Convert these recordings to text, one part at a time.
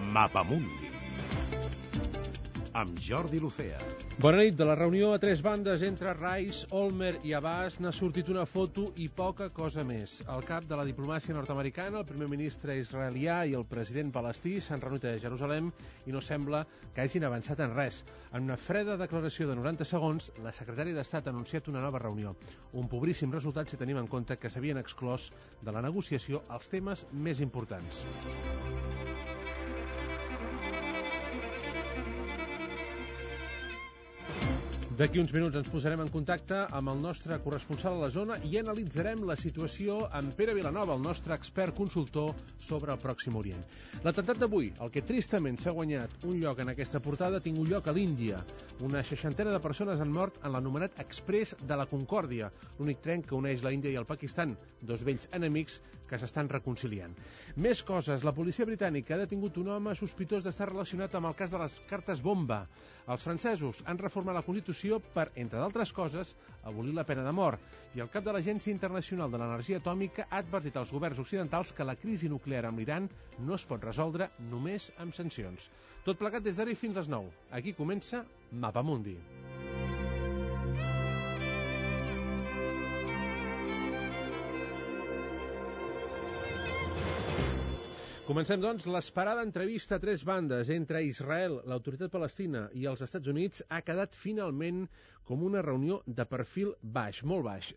Mapamundi amb Jordi Lucea. Bona nit. De la reunió a tres bandes entre Rice, Olmert i Abbas n'ha sortit una foto i poca cosa més. El cap de la diplomàcia nord-americana, el primer ministre israelià i el president palestí s'han reunit a Jerusalem i no sembla que hagin avançat en res. En una freda declaració de 90 segons, la secretària d'Estat ha anunciat una nova reunió. Un pobríssim resultat si tenim en compte que s'havien exclòs de la negociació els temes més importants. D'aquí uns minuts ens posarem en contacte amb el nostre corresponsal a la zona i analitzarem la situació amb Pere Vilanova, el nostre expert consultor sobre el Pròxim Orient. L'atemptat d'avui, el que tristament s'ha guanyat un lloc en aquesta portada, ha tingut lloc a l'Índia. Una 60 de persones han mort en l'anomenat Exprés de la Concòrdia, l'únic tren que uneix la Índia i el Pakistan, dos vells enemics que s'estan reconciliant. Més coses. La policia britànica ha detingut un home sospitós d'estar relacionat amb el cas de les cartes bomba. Els francesos han reformat la Constitució per, entre d'altres coses, abolir la pena de mort. I el cap de l'Agència Internacional de l'Energia Atòmica ha advertit als governs occidentals que la crisi nuclear amb l'Iran no es pot resoldre només amb sancions. Tot plegat des d'ara i fins les 9. Aquí comença Mapamundi. Comencem, doncs. L'esperada entrevista a tres bandes entre Israel, l'autoritat palestina i els Estats Units ha quedat finalment com una reunió de perfil baix, molt baix.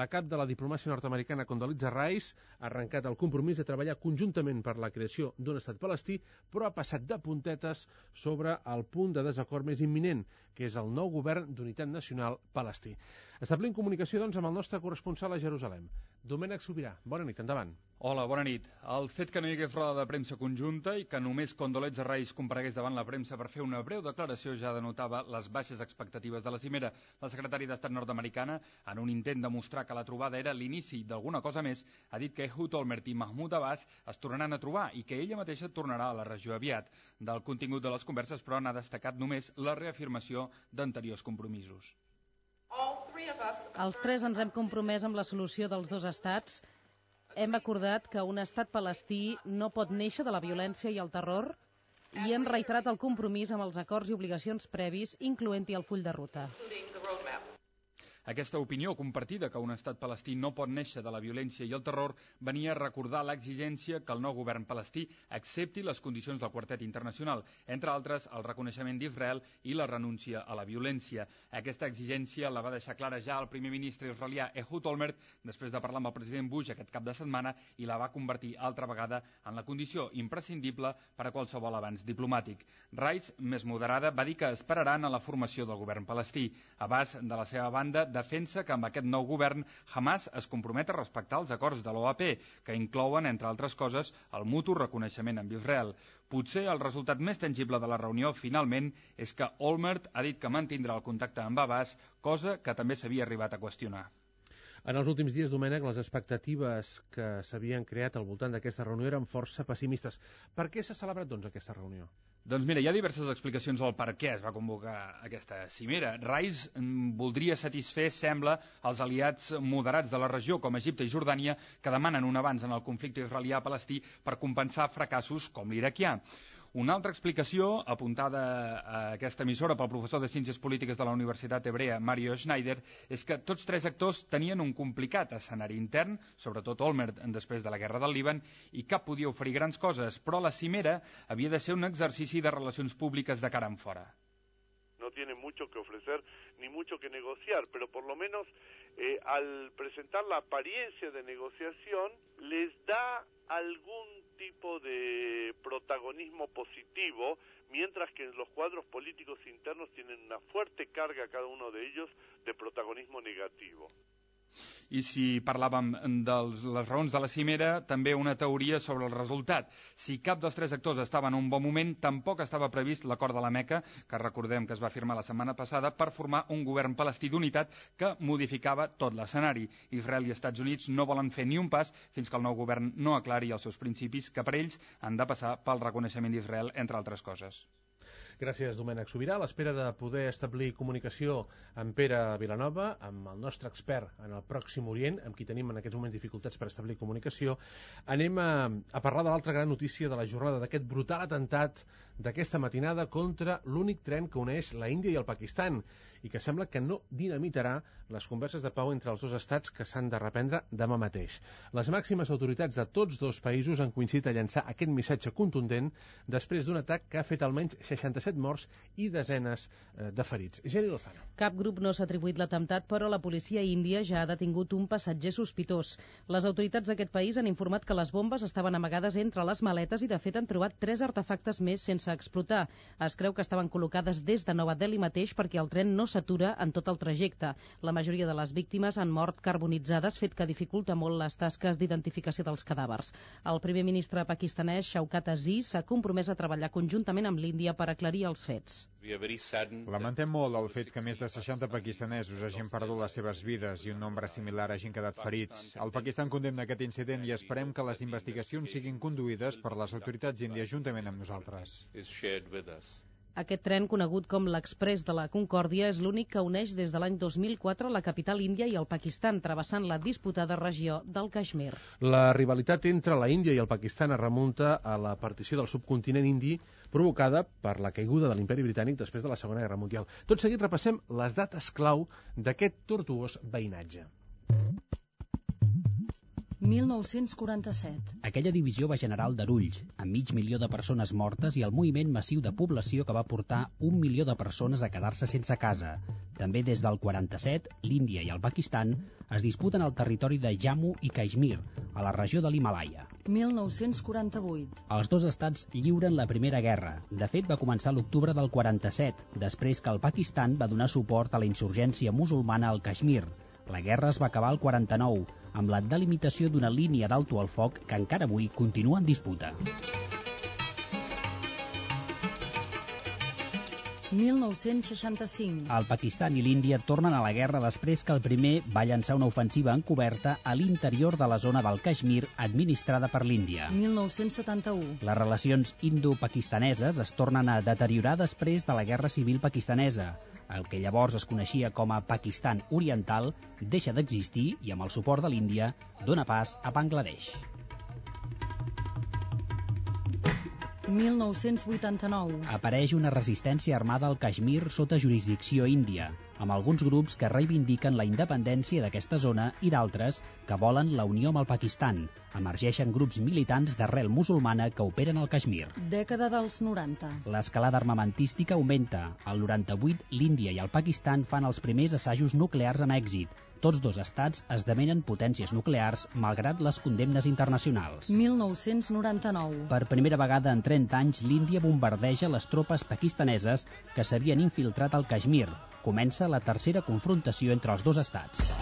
La cap de la diplomàcia nord-americana, Condoleezza Rice, ha arrencat el compromís de treballar conjuntament per la creació d'un estat palestí, però ha passat de puntetes sobre el punt de desacord més imminent, que és el nou govern d'unitat nacional palestí. Establim comunicació, doncs, amb el nostre corresponsal a Jerusalem. Domènec Sobirà, bona nit, endavant. Hola, bona nit. El fet que no hi hagués roda de premsa conjunta i que només Condoleezza Rice comparegués davant la premsa per fer una breu declaració ja denotava les baixes expectatives de la cimera. La secretària d'Estat nord-americana, en un intent de mostrar que la trobada era l'inici d'alguna cosa més, ha dit que Ehud Olmert i Mahmoud Abbas es tornaran a trobar i que ella mateixa tornarà a la regió aviat. Del contingut de les converses, però, n'ha destacat només la reafirmació d'anteriors compromisos. Els tres ens hem compromès amb la solució dels dos estats. Hem acordat que un estat palestí no pot néixer de la violència i el terror i hem reiterat el compromís amb els acords i obligacions previs, incloent-hi el full de ruta. Aquesta opinió compartida que un estat palestí no pot néixer de la violència i el terror venia a recordar l'exigència que el nou govern palestí accepti les condicions del quartet internacional, entre altres el reconeixement d'Israel i la renúncia a la violència. Aquesta exigència la va deixar clara ja el primer ministre israelià Ehud Olmert després de parlar amb el president Bush aquest cap de setmana i la va convertir altra vegada en la condició imprescindible per a qualsevol avanç diplomàtic. Rice, més moderada, va dir que esperaran a la formació del govern palestí. Abbas, de la seva banda, defensa que amb aquest nou govern Hamas es compromet a respectar els acords de l'OAP, que inclouen, entre altres coses, el mutu reconeixement amb Israel. Potser el resultat més tangible de la reunió, finalment, és que Olmert ha dit que mantindrà el contacte amb Abbas, cosa que també s'havia arribat a qüestionar. En els últims dies, Domènec, les expectatives que s'havien creat al voltant d'aquesta reunió eren força pessimistes. Per què s'ha celebrat, doncs, aquesta reunió? Doncs mira, hi ha diverses explicacions al per què es va convocar aquesta cimera. Rice voldria satisfer, sembla, els aliats moderats de la regió, com Egipte i Jordània, que demanen un avanç en el conflicte israelià-palestí per compensar fracassos com l'iraquià. Una altra explicació, apuntada a aquesta emissora pel professor de Ciències Polítiques de la Universitat Hebrea, Mario Schneider, és que tots tres actors tenien un complicat escenari intern, sobretot Olmert després de la guerra del Líban, i cap podia oferir grans coses, però la cimera havia de ser un exercici de relacions públiques de cara enfora. No tiene mucho que ofrecer ni mucho que negociar, pero por lo menos al presentar la apariencia de negociación les da algún tipo de protagonismo positivo, mientras que en los cuadros políticos internos tienen una fuerte carga cada uno de ellos de protagonismo negativo. I si parlàvem de les raons de la cimera, també una teoria sobre el resultat. Si cap dels tres actors estava en un bon moment, tampoc estava previst l'acord de la Meca, que recordem que es va firmar la setmana passada, per formar un govern palestí d'unitat que modificava tot l'escenari. Israel i Estats Units no volen fer ni un pas fins que el nou govern no aclari els seus principis, que per ells han de passar pel reconeixement d'Israel, entre altres coses. Gràcies, Domènec Sobirà. A l'espera de poder establir comunicació amb Pere Vilanova, amb el nostre expert en el Pròxim Orient, amb qui tenim en aquests moments dificultats per establir comunicació, anem a parlar de l'altra gran notícia de la jornada, d'aquest brutal atemptat d'aquesta matinada contra l'únic tren que uneix la Índia i el Pakistan i que sembla que no dinamitarà les converses de pau entre els dos estats que s'han de reprendre demà mateix. Les màximes autoritats de tots dos països han coincidit a llançar aquest missatge contundent després d'un atac que ha fet almenys 67 morts i desenes de ferits. Geni Lozano. Cap grup no s'ha atribuït l'atemptat, però la policia índia ja ha detingut un passatger sospitós. Les autoritats d'aquest país han informat que les bombes estaven amagades entre les maletes i, de fet, han trobat 3 artefactes més sense explotar. Es creu que estaven col·locades des de Nova Delhi mateix perquè el tren no s'atura en tot el trajecte. La majoria de les víctimes han mort carbonitzades, fet que dificulta molt les tasques d'identificació dels cadàvers. El primer ministre pakistanès, Shaukat Aziz, s'ha compromès a treballar conjuntament amb l'Índia per aclarir els fets. Lamentem molt el fet que més de 60 pakistanesos hagin perdut les seves vides i un nombre similar hagin quedat ferits. El Pakistan condemna aquest incident i esperem que les investigacions siguin conduïdes per les autoritats índies juntament amb nosaltres. Aquest tren, conegut com l'Exprés de la Concòrdia, és l'únic que uneix des de l'any 2004 la capital índia i el Pakistan, travessant la disputada regió del Caixmir. La rivalitat entre la Índia i el Pakistan es remunta a la partició del subcontinent indi provocada per la caiguda de l'Imperi Britànic després de la Segona Guerra Mundial. Tot seguit repassem les dates clau d'aquest tortuós veïnatge. 1947. Aquella divisió va generar aldarulls, amb 500.000 de persones mortes i el moviment massiu de població que va portar 1 milió de persones a quedar-se sense casa. També des del 47, l'Índia i el Pakistan es disputen el territori de Jammu i Caixmir, a la regió de l'Himàlaia. 1948. Els dos estats lliuren la Primera Guerra. De fet, va començar l'octubre del 47, després que el Pakistan va donar suport a la insurgència musulmana al Caixmir. La guerra es va acabar al 49, amb la delimitació d'una línia d'alto al foc que encara avui continua en disputa. 1965. El Pakistan i l'Índia tornen a la guerra després que el primer va llançar una ofensiva encoberta a l'interior de la zona del Caixmir administrada per l'Índia. 1971. Les relacions indo-pakistaneses es tornen a deteriorar després de la Guerra Civil pakistanesa. El que llavors es coneixia com a Pakistan Oriental deixa d'existir i, amb el suport de l'Índia, dona pas a Bangladesh. 1989. Apareix una resistència armada al Caixmir sota jurisdicció índia, amb alguns grups que reivindiquen la independència d'aquesta zona i d'altres que volen la unió amb el Pakistan. Emergeixen grups militants d'arrel musulmana que operen al Caixmir. Dècada dels 90. L'escalada armamentística augmenta. Al 98, l'Índia i el Pakistan fan els primers assajos nuclears amb èxit. Tots dos estats esdevenen potències nuclears malgrat les condemnes internacionals. 1999. Per primera vegada en 30 anys, l'Índia bombardeja les tropes pakistaneses que s'havien infiltrat al Caixmir. Comença la tercera confrontació entre els dos estats.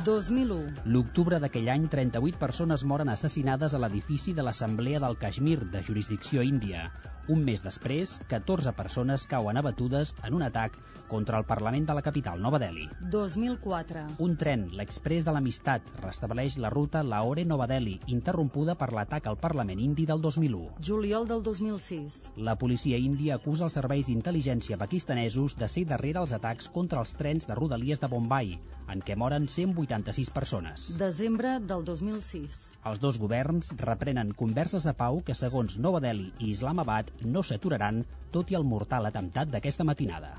2001. L'octubre d'aquell any, 38 persones moren assassinades a l'edifici de l'Assemblea del Caixmir, de jurisdicció índia. Un mes després, 14 persones cauen abatudes en un atac contra el Parlament de la capital, Nova Delhi. 2004. Un tren, l'Exprés de l'Amistat, restableix la ruta Lahore-Nova Delhi, interrompuda per l'atac al Parlament indi del 2001. Juliol del 2006. La policia índia acusa els serveis d'intel·ligència pakistanesos de ser darrere els atacs contra els trens de rodalies de Bombai, en què moren 186 persones. Desembre del 2006. Els dos governs reprenen converses de pau que, segons Nova Delhi i Islamabad, no s'aturaran, tot i el mortal atemptat d'aquesta matinada.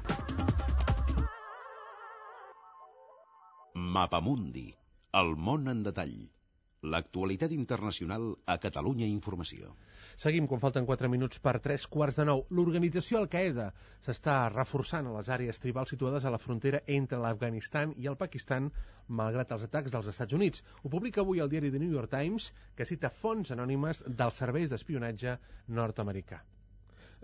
Mapamundi, el món en detall. L'actualitat internacional a Catalunya Informació. Seguim quan falten 4 minuts per 3:45. L'organització Al-Qaeda s'està reforçant a les àrees tribals situades a la frontera entre l'Afganistan i el Pakistan, malgrat els atacs dels Estats Units. Ho publica avui el diari The New York Times, que cita fonts anònimes dels serveis d'espionatge nord-americà.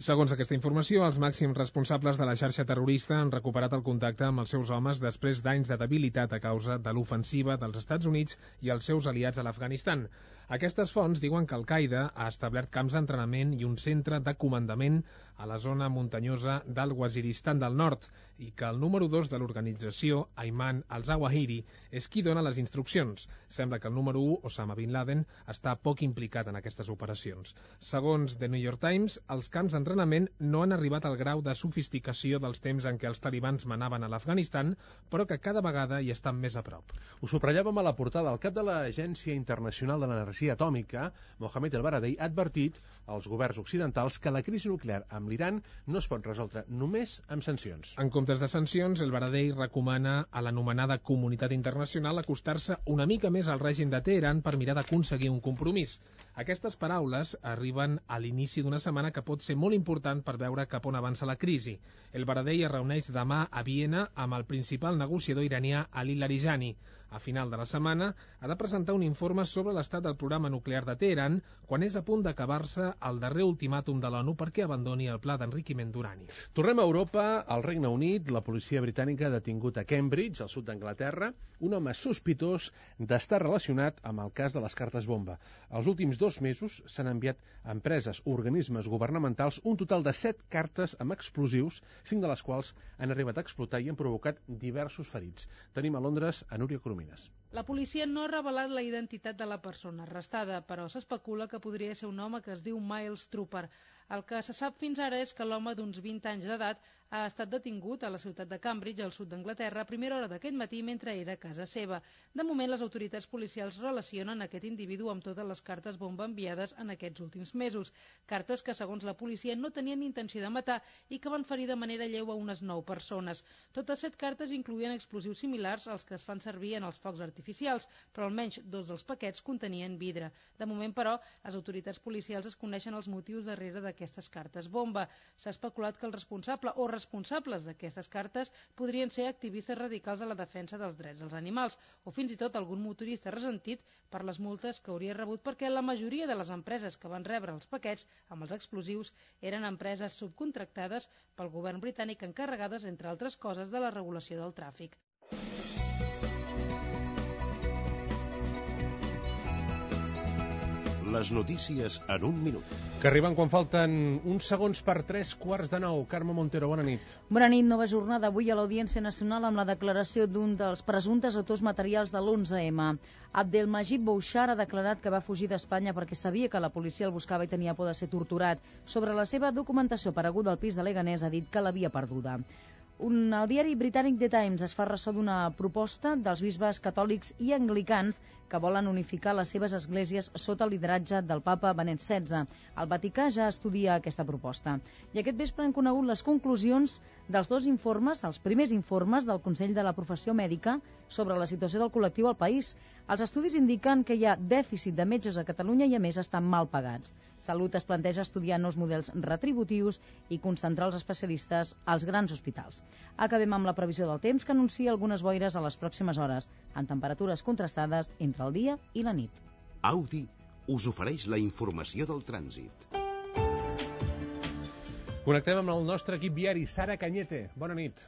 Segons aquesta informació, els màxims responsables de la xarxa terrorista han recuperat el contacte amb els seus homes després d'anys de debilitat a causa de l'ofensiva dels Estats Units i els seus aliats a l'Afganistan. Aquestes fonts diuen que Al-Qaeda ha establert camps d'entrenament i un centre de comandament a la zona muntanyosa del Waziristan del Nord i que el número 2 de l'organització, Ayman al-Zawahiri, és qui dona les instruccions. Sembla que el número 1, Osama Bin Laden, està poc implicat en aquestes operacions. Segons The New York Times, els camps d'entrenament no han arribat al grau de sofisticació dels temps en què els talibans manaven a l'Afganistan, però que cada vegada hi estan més a prop. Ho subratllàvem a la portada. El cap de l'Agència Internacional de l'Energia Atòmica, Mohamed El-Baradei, ha advertit als governs occidentals que la crisi nuclear amb l'Iran no es pot resoldre només amb sancions. En comptes de sancions, El-Baradei recomana a l'anomenada comunitat internacional acostar-se una mica més al règim de Teheran per mirar d'aconseguir un compromís. Aquestes paraules arriben a l'inici d'una setmana que pot ser molt important per veure cap on avança la crisi. El-Baradei es reuneix demà a Viena amb el principal negociador iranià Ali Larijani. A final de la setmana ha de presentar un informe sobre l'estat del programa nuclear de Teheran quan és a punt d'acabar-se el darrer ultimàtum de l'ONU perquè abandoni el pla d'enriquiment d'urani. Tornem a Europa. Al Regne Unit, la policia britànica ha detingut a Cambridge, al sud d'Anglaterra, un home sospitós d'estar relacionat amb el cas de les cartes bomba. Els últims 2 mesos s'han enviat a empreses, organismes governamentals, un total de 7 cartes amb explosius, 5 de les quals han arribat a explotar i han provocat diversos ferits. Tenim a Londres a Núria Coromines. La policia no ha revelat la identitat de la persona arrestada, però s'especula que podria ser un home que es diu Miles Trooper. El que se sap fins ara és que l'home d'uns 20 anys d'edat ha estat detingut a la ciutat de Cambridge, al sud d'Anglaterra, a primera hora d'aquest matí mentre era a casa seva. De moment, les autoritats policials relacionen aquest individu amb totes les cartes bomba enviades en aquests últims mesos. Cartes que, segons la policia, no tenien intenció de matar i que van ferir de manera lleu a unes 9 persones. Totes 7 cartes incloïen explosius similars als que es fan servir en els focs artificials, però almenys 2 dels paquets contenien vidre. De moment, però, les autoritats policials es coneixen els motius darrere d'aquestes cartes bomba. S'ha especulat que el responsable o responsables d'aquestes cartes podrien ser activistes radicals a la defensa dels drets dels animals o fins i tot algun motorista ressentit per les multes que hauria rebut perquè la majoria de les empreses que van rebre els paquets amb els explosius eren empreses subcontractades pel govern britànic encarregades, entre altres coses, de la regulació del tràfic. Les notícies en un minut. Que arriben quan falten uns segons per 3:15. Carme Montero, bona nit. Bona nit. Nova jornada avui a l'Audiència Nacional amb la declaració d'un dels presumptes autors materials de l'11M. Abdelmajid Bouchar ha declarat que va fugir d'Espanya perquè sabia que la policia el buscava i tenia por de ser torturat. Sobre la seva documentació apareguda al pis de Leganés ha dit que l'havia perduda. El diari britànic The Times es fa ressò d'una proposta dels bisbes catòlics i anglicans que volen unificar les seves esglésies sota el lideratge del papa Benet XVI. El Vaticà ja estudia aquesta proposta. I aquest vespre han conegut les conclusions dels 2 informes, els primers informes del Consell de la Professió Mèdica sobre la situació del col·lectiu al país. Els estudis indiquen que hi ha dèficit de metges a Catalunya i, a més, estan mal pagats. Salut es planteja estudiar nous models retributius i concentrar els especialistes als grans hospitals. Acabem amb la previsió del temps, que anuncia algunes boires a les pròximes hores, amb temperatures contrastades entre el dia i la nit. Audi us ofereix la informació del trànsit. Connectem amb el nostre equip viari. Sara Cañete, bona nit.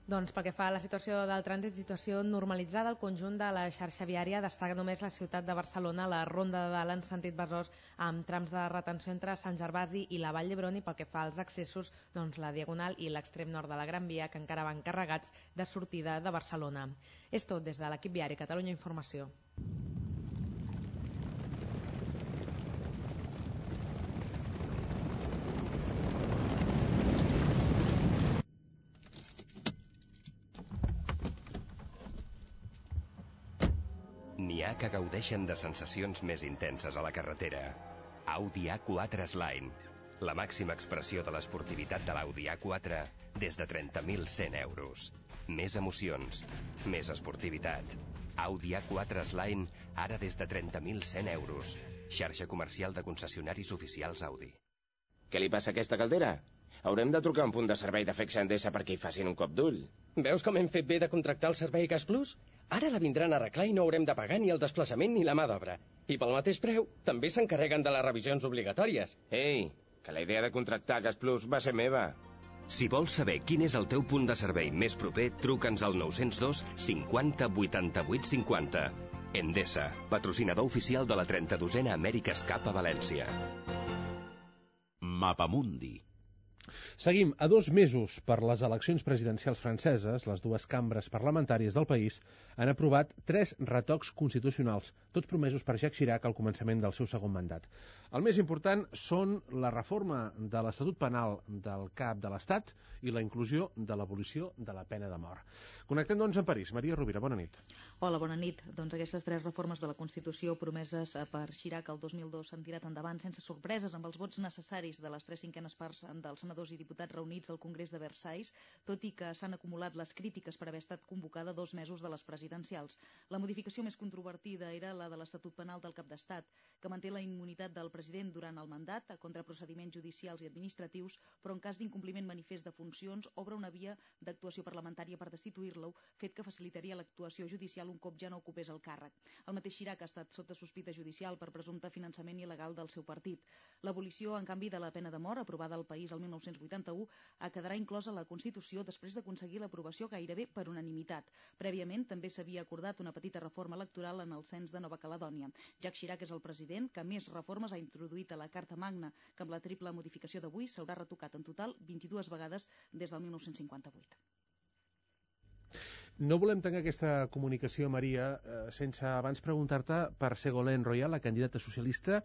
Doncs pel que fa a la situació del trànsit, situació normalitzada al conjunt de la xarxa viària. Destaca només la ciutat de Barcelona, la Ronda de Dalt en sentit Besòs, amb trams de retenció entre Sant Gervasi i la Vall d'Hebron, i pel que fa als accessos, doncs la Diagonal i l'extrem nord de la Gran Via, que encara van carregats de sortida de Barcelona. És tot des de l'equip viari Catalunya Informació. N'hi ha que gaudeixen de sensacions més intenses a la carretera. Audi A4 S-Line, la màxima expressió de l'esportivitat de l'Audi A4 des de 30.100 euros. Més emocions, més esportivitat. Audi A4 S-Line, ara des de 30.100 euros. Xarxa comercial de concessionaris oficials Audi. Què li passa a aquesta caldera? Haurem de trucar a un punt de servei de FECSA Endesa perquè hi facin un cop d'ull. Veus com hem fet bé de contractar el servei Gas Plus? Ara la vindran a arreglar i no haurem de pagar ni el desplaçament ni la mà d'obra. I pel mateix preu, també s'encarreguen de les revisions obligatòries. Ei, que la idea de contractar Gas Plus va ser meva. Si vols saber quin és el teu punt de servei més proper, truca'ns al 902 50 88 50. Endesa, patrocinador oficial de la 32a America's Cup a València. Mapamundi. Seguim. A 2 mesos per les eleccions presidencials franceses, les dues cambres parlamentàries del país han aprovat 3 retocs constitucionals, tots promesos per Jacques Chirac al començament del seu segon mandat. El més important són la reforma de l'Estatut Penal del cap de l'Estat i la inclusió de l'abolició de la pena de mort. Connectem, doncs, amb París. Maria Rovira, bona nit. Hola, bona nit. Doncs aquestes 3 reformes de la Constitució promeses per Chirac el 2002 s'han tirat endavant sense sorpreses, amb els vots necessaris de les 3/5 parts dels senadors i diputats reunits al Congrés de Versailles, tot i que s'han acumulat les crítiques per haver estat convocada 2 mesos de les presidencials. La modificació més controvertida era la de l'Estatut Penal del cap d'Estat, que manté la immunitat del president durant el mandat contra procediments judicials i administratius, però en cas d'incompliment manifest de funcions obre una via d'actuació parlamentària per destituir-lo, fet que facilitaria l'actuació judicial un cop ja no ocupés el càrrec. El mateix Chirac ha estat sota sospita judicial per presumpte finançament il·legal del seu partit. L'abolició, en canvi, de la pena de mort, aprovada al país el 1981, quedarà inclosa a la Constitució després d'aconseguir l'aprovació gairebé per unanimitat. Prèviament també s'havia acordat una petita reforma electoral en el cens de Nova Caledònia. Jacques Chirac és el president que més reformes ha introduït a la Carta Magna, que amb la triple modificació d'avui s'haurà retocat en total 22 vegades des del 1958. No volem tancar aquesta comunicació, Maria, sense abans preguntar-te per Ségolène Royal, la candidata socialista,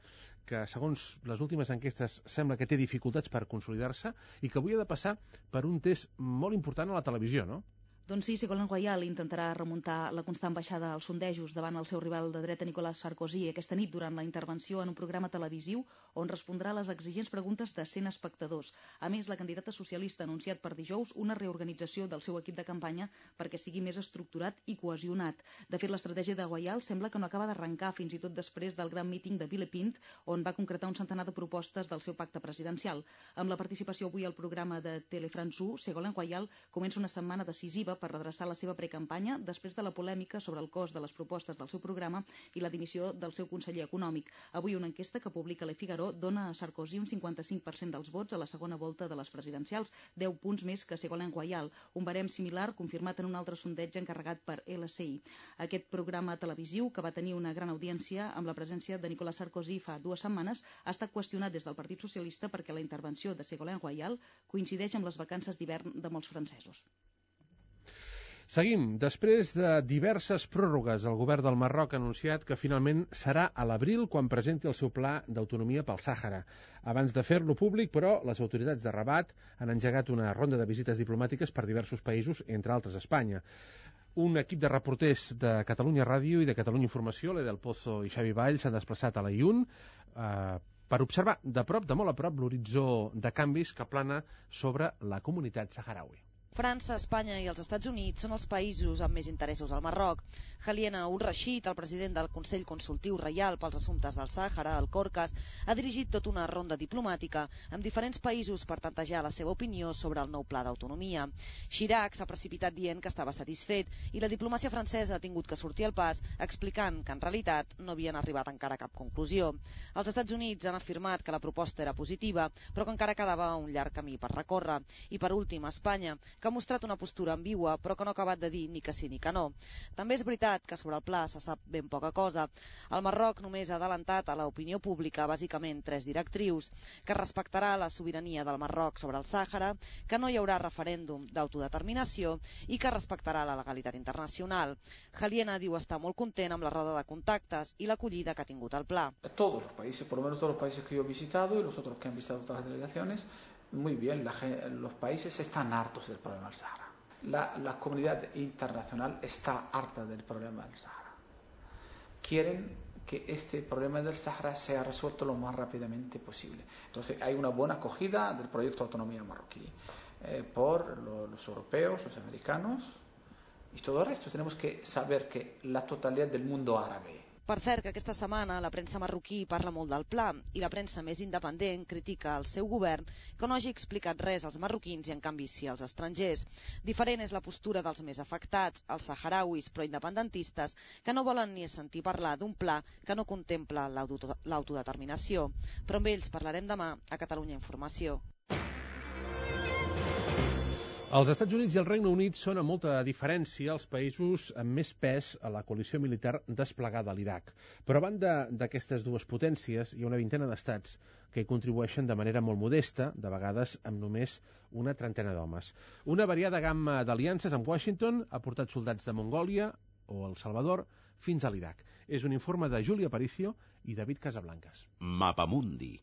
que segons les últimes enquestes sembla que té dificultats per consolidar-se i que avui ha de passar per un test molt important a la televisió, no? Doncs sí, Ségolène Royal intentarà remuntar la constant baixada als sondejos davant el seu rival de dreta Nicolas Sarkozy aquesta nit durant la intervenció en un programa televisiu on respondrà a les exigents preguntes de 100 espectadors. A més, la candidata socialista ha anunciat per dijous una reorganització del seu equip de campanya perquè sigui més estructurat i cohesionat. De fet, l'estratègia de Royal sembla que no acaba d'arrencar fins i tot després del gran míting de Villepinte, on va concretar un centenar de propostes del seu pacte presidencial. Amb la participació avui al programa de Telefrance 1, Ségolène Royal comença una setmana decisiva per redreçar la seva precampanya després de la polèmica sobre el cost de les propostes del seu programa i la dimissió del seu conseller econòmic. Avui una enquesta que publica Le Figaro dona a Sarkozy un 55% dels vots a la segona volta de les presidencials, 10 punts més que Ségolène Royal, un barem similar confirmat en un altre sondeig encarregat per LCI. Aquest programa televisiu, que va tenir una gran audiència amb la presència de Nicolas Sarkozy fa 2 setmanes, ha estat qüestionat des del Partit Socialista perquè la intervenció de Ségolène Royal coincideix amb les vacances d'hivern de molts francesos. Seguim. Després de diverses pròrrogues, el govern del Marroc ha anunciat que finalment serà a l'abril quan presenti el seu pla d'autonomia pel Sàhara. Abans de fer-lo públic, però, les autoritats de Rabat han engegat una ronda de visites diplomàtiques per diversos països, entre altres Espanya. Un equip de reporters de Catalunya Ràdio i de Catalunya Informació, l'Edel Pozo i Xavi Vall, s'han desplaçat a l'Aïun per observar de prop, de molt a prop, l'horitzó de canvis que plana sobre la comunitat saharaui. França, Espanya i els Estats Units són els països amb més interessos al Marroc. Haliena Ur-Rashid, el president del Consell Consultiu Reial pels Assumptes del Sàhara, el Corcas, ha dirigit tota una ronda diplomàtica amb diferents països per tantejar la seva opinió sobre el nou pla d'autonomia. Chirac s'ha precipitat dient que estava satisfet i la diplomàcia francesa ha tingut que sortir al pas explicant que en realitat no havien arribat encara a cap conclusió. Els Estats Units han afirmat que la proposta era positiva, però que encara quedava un llarg camí per recórrer. I per últim, Espanya, que ha mostrat una postura ambigua, però que no ha acabat de dir ni que sí ni que no. També és veritat que sobre el pla se sap ben poca cosa. El Marroc només ha adelantat a l'opinió pública bàsicament 3 directrius: que respectarà la sobirania del Marroc sobre el Sàhara, que no hi haurà referèndum d'autodeterminació i que respectarà la legalitat internacional. Haliena diu estar molt content amb la roda de contactes i l'acollida que ha tingut el pla. Todos los países, por lo menos todos los países que yo he visitado y los otros que han visitado otras delegaciones, muy bien, los países están hartos del problema del Sahara. La comunidad internacional está harta del problema del Sahara. Quieren que este problema del Sahara sea resuelto lo más rápidamente posible. Entonces hay una buena acogida del proyecto de autonomía marroquí por los europeos, los americanos y todo el resto. Tenemos que saber que la totalidad del mundo árabe. Per cert, que aquesta setmana la premsa marroquí parla molt del pla i la premsa més independent critica el seu govern que no hagi explicat res als marroquins i en canvi sí als estrangers. Diferent és la postura dels més afectats, els saharauis pro-independentistes, que no volen ni sentir parlar d'un pla que no contempla l'autodeterminació. Però amb ells parlarem demà a Catalunya Informació. Els Estats Units i el Regne Unit són amb molta diferència els països amb més pes a la coalició militar desplegada a l'Iraq. Però a banda d'aquestes dues potències, hi ha una vintena d'estats que hi contribueixen de manera molt modesta, de vegades amb només una trentena d'homes. Una variada gamma d'aliances amb Washington ha portat soldats de Mongòlia o El Salvador fins a l'Iraq. És un informe de Júlia Aparicio i David Casablancas. Mapamundi.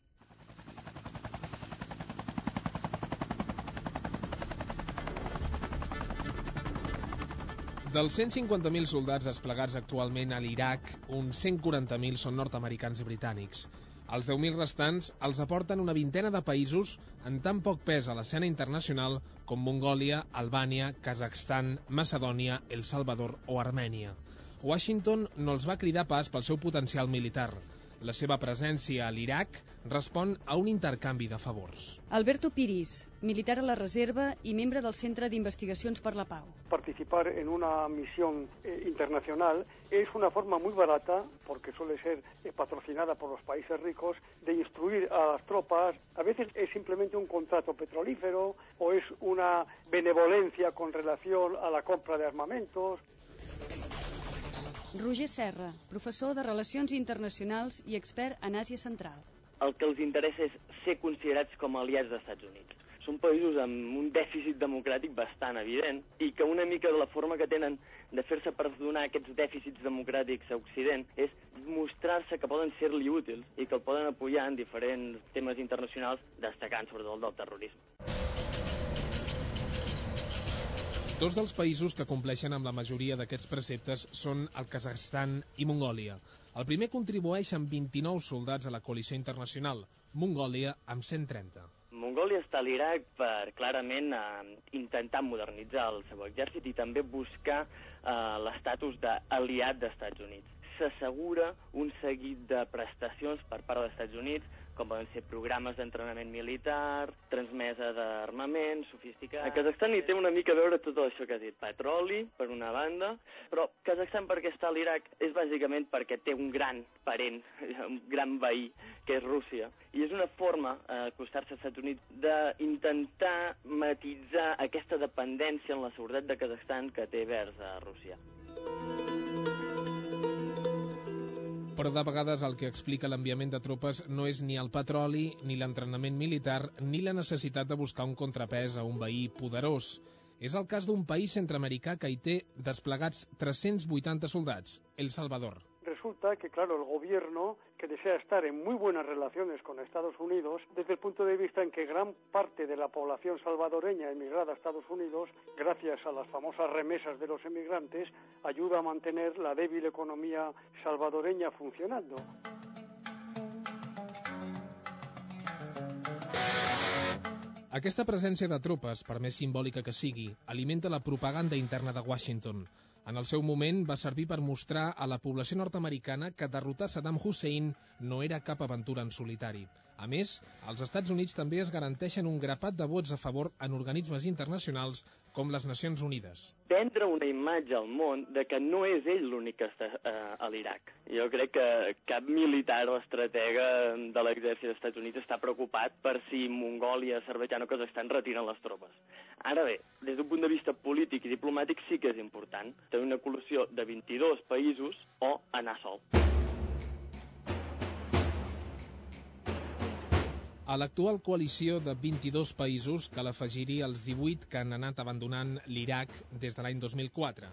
Dels 150.000 soldats desplegats actualment a l'Iraq, uns 140.000 són nord-americans i britànics. Els 10.000 restants els aporten una vintena de països en tan poc pes a l'escena internacional com Mongòlia, Albània, Kazakhstan, Macedònia, El Salvador o Armènia. Washington no els va cridar pas pel seu potencial militar. La seva presència a l'Iraq respon a un intercanvi de favors. Alberto Piris, militar a la reserva y miembro del Centro de Investigaciones por la Pau. Participar en una misión internacional es una forma muy barata, porque suele ser patrocinada por los países ricos, de instruir a las tropas. A veces es simplemente un contrato petrolífero o es una benevolencia con relación a la compra de armamentos. Roger Serra, professor de Relacions Internacionals i expert en Àsia Central. El que els interessa és ser considerats com a aliats dels Estats Units. Són països amb un dèficit democràtic bastant evident i que una mica de la forma que tenen de fer-se perdonar aquests dèficits democràtics a Occident és mostrar-se que poden ser-li útils i que el poden apoyar en diferents temes internacionals, destacant sobretot el del terrorisme. Dos dels països que compleixen amb la majoria d'aquests preceptes són el Kazakhstan i Mongòlia. El primer contribueix amb 29 soldats a la coalició internacional, Mongòlia amb 130. Mongòlia està a l'Iraq per clarament intentar modernitzar el seu exèrcit i també buscar l'estatus d'aliat dels Estats Units. S'assegura un seguit de prestacions per part dels Estats Units, com poden ser programes d'entrenament militar, transmesa d'armament, sofisticat... A Kazakhstan hi té una mica a veure tot això que has dit. Petroli, per una banda, però Kazakhstan perquè està a l'Iraq és bàsicament perquè té un gran parent, un gran veí, que és Rússia. I és una forma, acostar-se als Estats Units, d'intentar matitzar aquesta dependència en la seguretat de Kazakhstan que té vers a Rússia. Però de vegades el que explica l'enviament de tropes no és ni el petroli, ni l'entrenament militar, ni la necessitat de buscar un contrapès a un veí poderós. És el cas d'un país centroamericà que hi té desplegats 380 soldats, El Salvador. Resulta que, claro, el gobierno, que desea estar en muy buenas relaciones con Estados Unidos, desde el punto de vista en que gran parte de la población salvadoreña emigrada a Estados Unidos, gracias a las famosas remesas de los emigrantes, ayuda a mantener la débil economía salvadoreña funcionando. Aquesta presència de tropes, per més simbòlica que sigui, alimenta la propaganda interna de Washington. En el seu moment va servir per mostrar a la població nord-americana que derrotar Saddam Hussein no era cap aventura en solitari. A més, als Estats Units també es garanteixen un grapat de vots a favor en organismes internacionals com les Nacions Unides. Vendre una imatge al món de que no és ell l'únic que està a l'Iraq. Jo crec que cap militar o estratega de l'exèrcit dels Estats Units està preocupat per si Mongòlia, Azerbaidjan o Kazakhstan retiren les tropes. Ara bé, des d'un punt de vista polític i diplomàtic sí que és important tenir una coalició de 22 països o anar sol. A l'actual coalició de 22 països cal afegir-hi els 18 que han anat abandonant l'Iraq des de l'any 2004.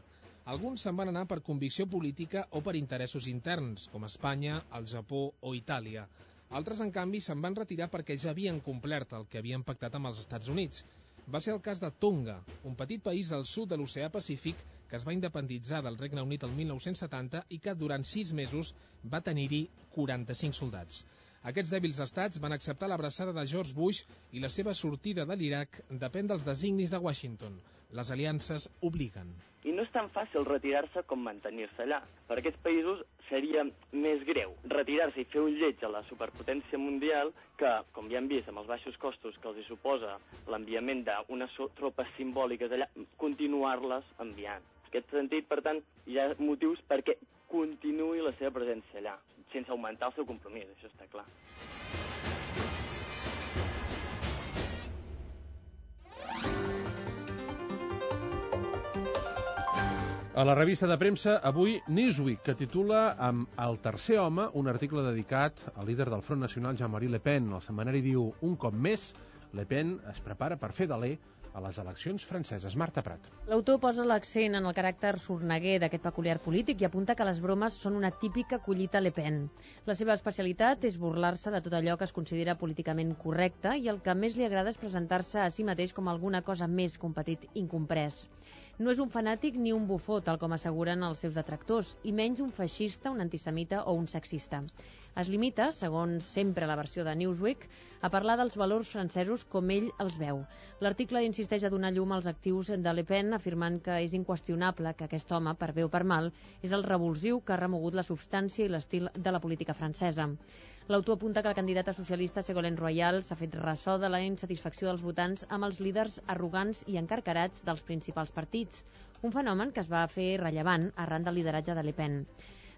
Alguns se'n van anar per convicció política o per interessos interns, com Espanya, el Japó o Itàlia. Altres, en canvi, se'n van retirar perquè ja havien complert el que havien pactat amb els Estats Units. Va ser el cas de Tonga, un petit país del sud de l'Oceà Pacífic que es va independitzar del Regne Unit el 1970 i que durant 6 mesos va tenir-hi 45 soldats. Aquests dèbils estats van acceptar l'abraçada de George Bush i la seva sortida de l'Iraq depèn dels designis de Washington. Les aliances obliguen. I no és tan fàcil retirar-se com mantenir-se allà. Per aquests països seria més greu retirar-se i fer un lleig a la superpotència mundial que, com ja hem vist amb els baixos costos que els hi suposa l'enviament d'unes tropes simbòliques allà, continuar-les enviant. En aquest sentit, per tant, hi ha motius perquè continuï la seva presència allà, sense augmentar el seu compromís, això està clar. A la revista de premsa, avui, Newsweek, que titula amb El tercer home, un article dedicat al líder del Front Nacional, Jean-Marie Le Pen. El setmanari diu, un cop més, Le Pen es prepara per fer d'aler a les eleccions franceses. Marta Prat. L'autor posa l'accent en el caràcter sorneguer d'aquest peculiar polític i apunta que les bromes són una típica collita Le Pen. La seva especialitat és burlar-se de tot allò que es considera políticament correcte i el que més li agrada és presentar-se a si mateix com alguna cosa més que un petit incomprès. No és un fanàtic ni un bufó, tal com asseguren els seus detractors, i menys un feixista, un antisemita o un sexista. Es limita, segons sempre la versió de Newsweek, a parlar dels valors francesos com ell els veu. L'article insisteix a donar llum als actius de Le Pen, afirmant que és inqüestionable que aquest home, per bé o per mal, és el revulsiu que ha remogut la substància i l'estil de la política francesa. L'autor apunta que el candidat socialista Ségolène Royal s'ha fet ressò de la insatisfacció dels votants amb els líders arrogants i encarcarats dels principals partits, un fenomen que es va fer rellevant arran del lideratge de Le Pen.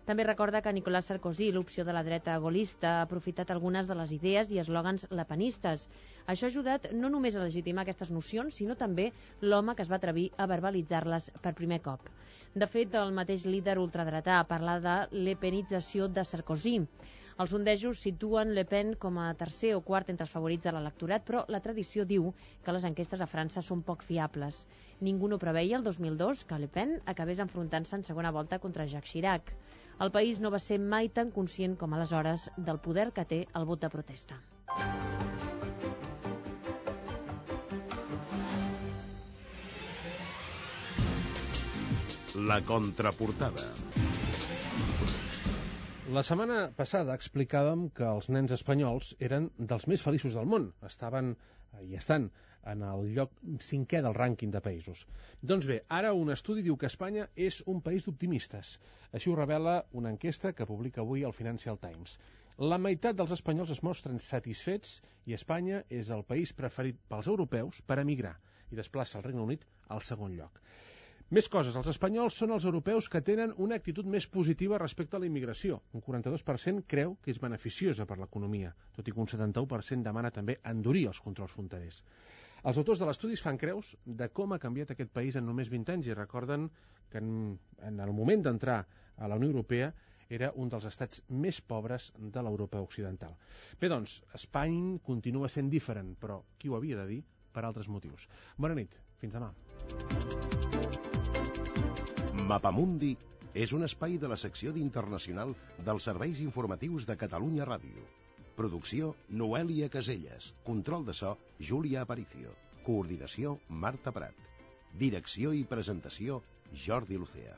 També recorda que Nicolas Sarkozy, l'opció de la dreta gaullista, ha aprofitat algunes de les idees i eslògans lepenistes. Això ha ajudat no només a legitimar aquestes nocions, sinó també l'home que es va atrevir a verbalitzar-les per primer cop. De fet, el mateix líder ultradretà parla de lepenització de Sarkozy. Els sondejos situen Le Pen com a tercer o quart entre els favorits de l'electorat, però la tradició diu que les enquestes a França són poc fiables. Ningú no preveia el 2002 que Le Pen acabés enfrontant-se en segona volta contra Jacques Chirac. El país no va ser mai tan conscient com aleshores del poder que té el vot de protesta. La contraportada. La setmana passada explicàvem que els nens espanyols eren dels més feliços del món. Estaven i estan en el lloc 5è del rànquing de països. Doncs bé, ara un estudi diu que Espanya és un país d'optimistes. Així ho revela una enquesta que publica avui el Financial Times. La meitat dels espanyols es mostren satisfets i Espanya és el país preferit pels europeus per emigrar i desplaça el Regne Unit al segon lloc. Més coses, els espanyols són els europeus que tenen una actitud més positiva respecte a la immigració. Un 42% creu que és beneficiosa per l'economia, tot i que un 71% demana també endurir els controls fronterers. Els autors de l'estudi fan creus de com ha canviat aquest país en només 20 anys i recorden que en el moment d'entrar a la Unió Europea era un dels estats més pobres de l'Europa occidental. Bé, doncs, Espanya continua sent diferent, però qui ho havia de dir per altres motius. Bona nit, fins demà. Mapamundi és un espai de la secció d'Internacional dels serveis informatius de Catalunya Ràdio. Producció, Noèlia Caselles. Control de so, Júlia Aparicio. Coordinació, Marta Prat. Direcció i presentació, Jordi Lucea.